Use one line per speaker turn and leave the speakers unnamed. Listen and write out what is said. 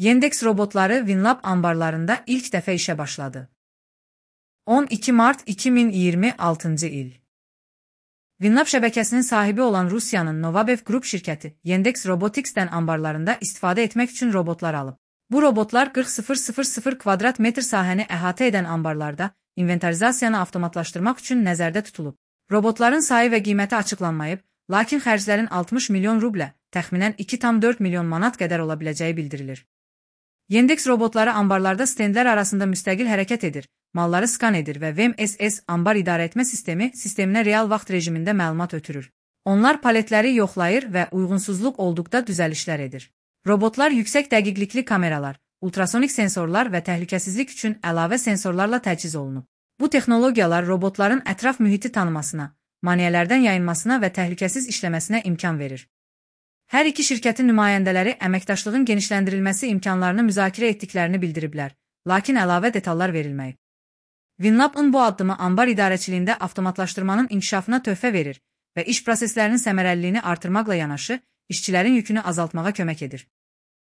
Yandex robotları Winlab ambarlarında ilk dəfə işə başladı. 12 mart 2026 il. Winlab şəbəkəsinin sahibi olan Rusiyanın Novabev Group şirkəti Yandex Robotics'dən ambarlarında istifadə etmək üçün robotlar alıb. Bu robotlar 40.000 kvadrat metr sahəni əhatə edən ambarlarda inventarizasiyanı avtomatlaşdırmaq üçün nəzərdə tutulub. Robotların sayı və qiyməti açıqlanmayıb, lakin xərclərin 60 milyon rublə, təxminən 2,4 milyon manat qədər ola biləcəyi bildirilir. Yandex robotları ambarlarda stendlər arasında müstəqil hərəkət edir, malları skan edir və VMSS ambar idarəetmə sisteminə real vaxt rejimində məlumat ötürür. Onlar paletləri yoxlayır və uyğunsuzluq olduqda düzəlişlər edir. Robotlar yüksək dəqiqlikli kameralar, ultrasonik sensorlar və təhlükəsizlik üçün əlavə sensorlarla təchiz olunub. Bu texnologiyalar robotların ətraf mühiti tanımasına, maneələrdən yayınmasına və təhlükəsiz işləməsinə imkan verir. Hər iki şirkətin nümayəndələri əməkdaşlığın genişləndirilməsi imkanlarını müzakirə etdiklərini bildiriblər, lakin əlavə detallar verilməyib. Winlab'ın bu addımı ambar idarəçiliyində avtomatlaşdırmanın inkişafına töhfə verir və iş proseslərinin səmərəliliyini artırmaqla yanaşı, işçilərin yükünü azaltmağa kömək edir.